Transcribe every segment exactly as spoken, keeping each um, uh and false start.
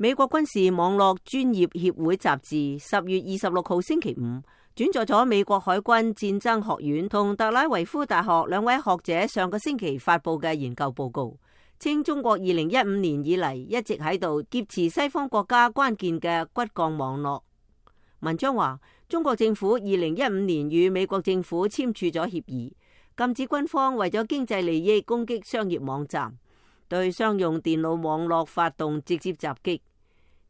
美國軍事網絡專業協會雜誌十月二十六號星期五轉載咗美國海軍戰爭學院同特拉維夫大學兩位學者上個星期發佈嘅研究報告，稱中國二零一五年以嚟一直喺度劫持西方國家關鍵嘅骨幹網絡。文章話，中國政府二零一五年與美國政府簽署咗協議，禁止軍方為咗經濟利益攻擊商業網站，對商用電腦網絡發動直接襲擊。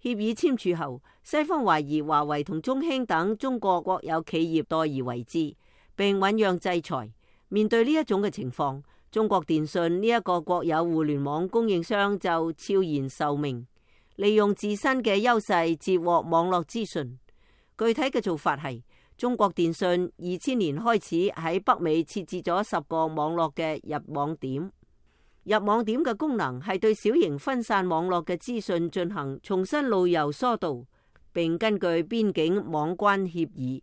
協議簽署後，西方懷疑華為同中興等中國國有企業代而為之，並醞釀制裁。面對呢一種嘅情況，中國電信呢一個國有互聯網供應商就悄然受命，利用自身嘅優勢截獲網絡資訊。具體嘅做法係，中國電信二千年開始喺北美設置咗十個網絡嘅入網點。入網點嘅功能係對小型分散網絡嘅資訊進行重新路由疏導，並根據邊境網關協議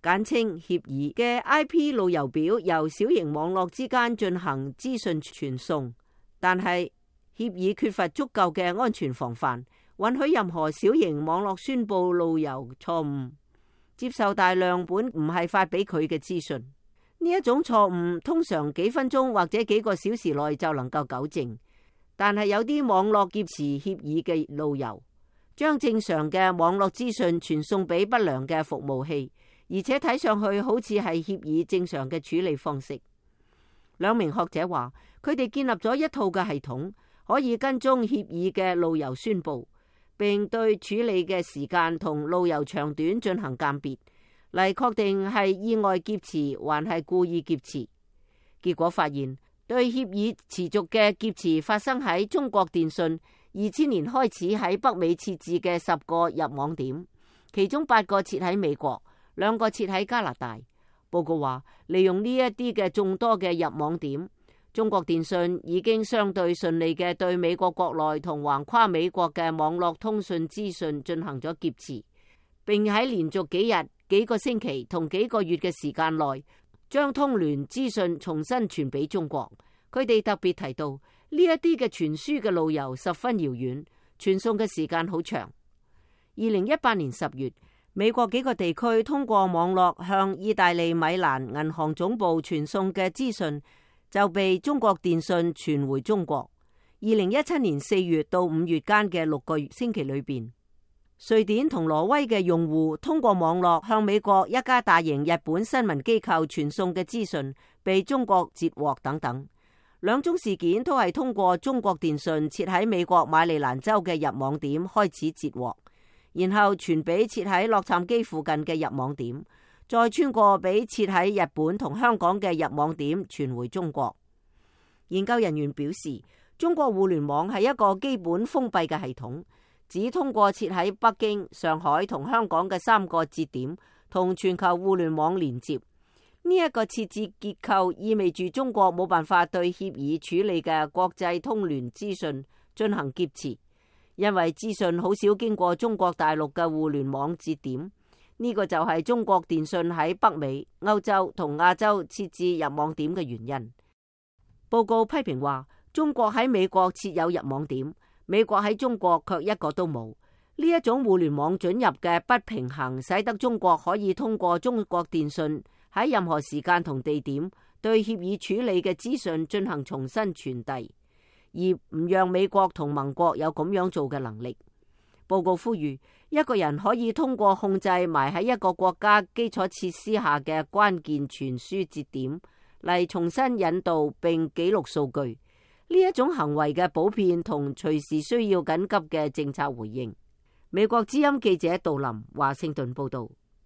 簡稱協議嘅 I P 路由表由小型網絡之間進行資訊傳送。但係協議缺乏足夠嘅安全防範，允許任何小型網絡宣佈路由錯誤，接受大量本唔係發俾佢嘅資訊。呢一種錯誤通常幾分鐘或者幾個小時內就能夠糾正，但係有啲網絡劫持協議嘅路由，將正常嘅網絡資訊傳送俾不良嘅服務器，而且睇上去好似係協議正常嘅處理方式。兩名學者話，佢哋建立咗一套嘅系統，可以跟蹤協議嘅路由宣佈，並對處理嘅時間同路由長短進行鑑別，嚟確定係意外劫持還係故意劫持。結果發現，對協議持續嘅劫持發生喺中國電信二千年開始喺北美設置嘅十個入網點，其中八個設喺美國，兩個設喺加拿大。報告話，利用呢一啲嘅眾多嘅入網點，中國電信已經相對順利嘅對美國國內同橫跨美國嘅網絡通訊資訊進行咗劫持，並喺連續幾日、幾個星期同幾個月嘅時間內，將通聯資訊重新傳俾中國。佢哋特別提到呢一啲嘅傳輸嘅路由十分遙遠，傳送嘅時間好長。二零一八年十月，美國幾個地區通過網絡向意大利米蘭銀行總部傳送嘅資訊就被中國電信傳回中國。二零一七年四月到五月間嘅六個星期裏邊，瑞典同挪威嘅用戶通過網絡向美國一家大型日本新聞機構傳送嘅資訊被中國截獲等等。兩宗事件都係通過中國電信設喺美國馬里蘭州嘅入網點開始截獲，然後傳俾設喺洛杉磯附近嘅入網點，再穿過俾設喺日本同香港嘅入網點傳回中國。研究人員表示，中國互聯網係一個基本封閉嘅系統，只通過設喺北京、上海同香港嘅三個節點同全球互聯網連接。呢一個設置結構意味住中國冇辦法對協議處理嘅國際通聯資訊進行劫持，因為資訊好少經過中國大陸嘅互聯網節點。呢個就係中國電信喺北美、歐洲同亞洲設置入網點嘅原因。報告批評話，中國喺美國設有入網點，美國喺中國卻一個都冇。呢一種互聯網准入嘅不平衡，使得中國可以通過中國電信喺任何時間同地點對協議處理嘅資訊進行重新傳遞，而唔讓美國同盟國有咁樣做嘅能力。報告呼籲，一個人可以通過控制埋喺一個國家基礎設施下嘅關鍵傳輸節點嚟重新引導並記錄數據。呢一種行為嘅普遍同隨時需要緊急嘅政策回應。美國之音記者杜林華盛頓報道。